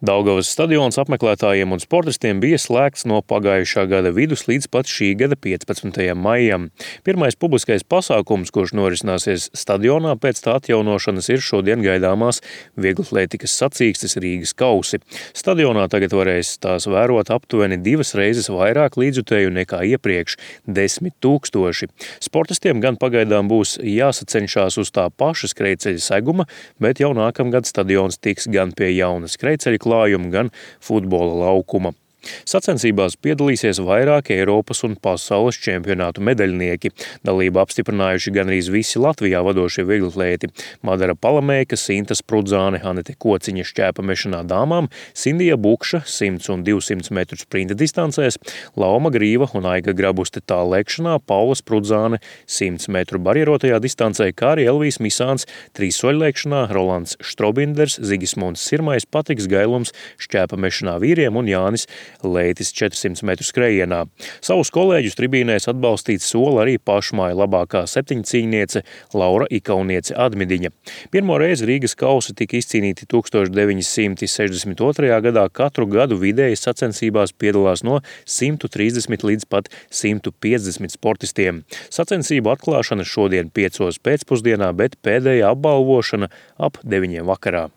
Daugavas stadions apmeklētājiem un sportistiem bija slēgts no pagājušā gada vidus līdz pat šī gada 15. maijam. Pirmais publiskais pasākums, kurš norisināsies stadionā pēc tā atjaunošanas, ir šodien gaidāmās vieglatlētikas sacīkstes Rīgas kausi. Stadionā tagad varēs tās vērot aptuveni 2 reizes vairāk līdzjutēju nekā iepriekš – 10 000. Sportistiem gan pagaidām būs jāsacenšās uz tā paša skrejceļa seguma, bet jau nākamgad stadions tiks gan pie jauna skrejceļa klājuma, gan futbola laukuma. Sacensībās piedalīsies vairāki Eiropas un pasaules čempionātu medaļnieki. Dalību apstiprinājuši gandrīz visi Latvijā vadošie vieglatlēti – Madara Palamēka, Sinta Sprudzāne, Anete Kociņa šķēpamešanā dāmām, Sindija Bukša 100 un 200 metru sprinta distancēs, Lauma Grīva un Aiga Grabuste tāllēkšanā, Paula Sprudzāne 100 metru barjerotajā distancē, kā arī Elvijas Misāns trīssoļlēkšanā, Rolands Štrobinders, Zigismunds Sirmais, Patriks Gailums šķēpamešanā vīriem un Jānis Leitis 400 metru skrejienā. Savus kolēģus tribīnēs atbalstīt sola arī pašmāja labākā septiņcīņniece Laura Ikauniece Admidiņa. Pirmo reizi Rīgas kausi tika izcīnīti 1962. gadā. Katru gadu vidēji sacensībās piedalās no 130 līdz pat 150 sportistiem. Sacensību atklāšana šodien 5 pēcpusdienā, bet pēdējā apbalvošana ap 9 vakarā.